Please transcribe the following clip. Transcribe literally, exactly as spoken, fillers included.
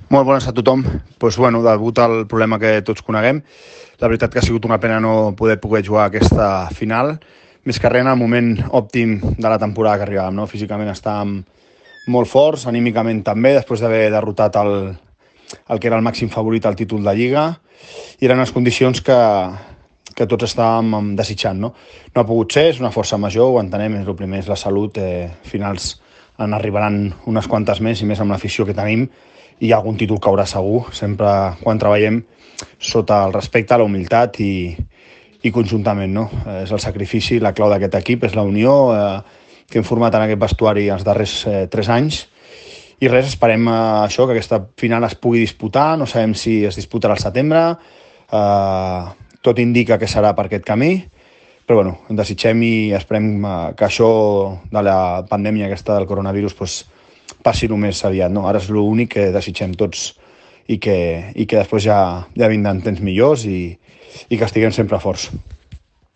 Molt bones a tothom. Pues, bueno, degut al problema que tots coneguem, la veritat que ha sigut una pena no poder poder jugar aquesta final, més que res en el moment òptim de la temporada que arribàvem. No? Físicament estàvem molt forts, anímicament també, després d'haver derrotat el, el que era el màxim favorit al títol de Lliga, i eren les condicions que, que tots estàvem desitjant. No? no ha pogut ser, és una força major, ho entenem, és el primer, és la salut, eh, finals en arribaran unes quantes més, i més amb l'afició que tenim, i algun títol caurà segur, sempre quan treballem sota el respecte, la humilitat i, i conjuntament. No? És el sacrifici, la clau d'aquest equip, és la unió eh, que hem format en aquest vestuari els darrers eh, tres anys, i res, esperem eh, això, que aquesta final es pugui disputar, no sabem si es disputarà al setembre, eh, tot indica que serà per aquest camí, però bueno, desitgem i esperem eh, que això de la pandèmia aquesta del coronavirus pues, passi només aviat. No? Ara és l'únic que desitgem tots i que, i que després ja, ja vindran temps millors i, i que estiguem sempre forts.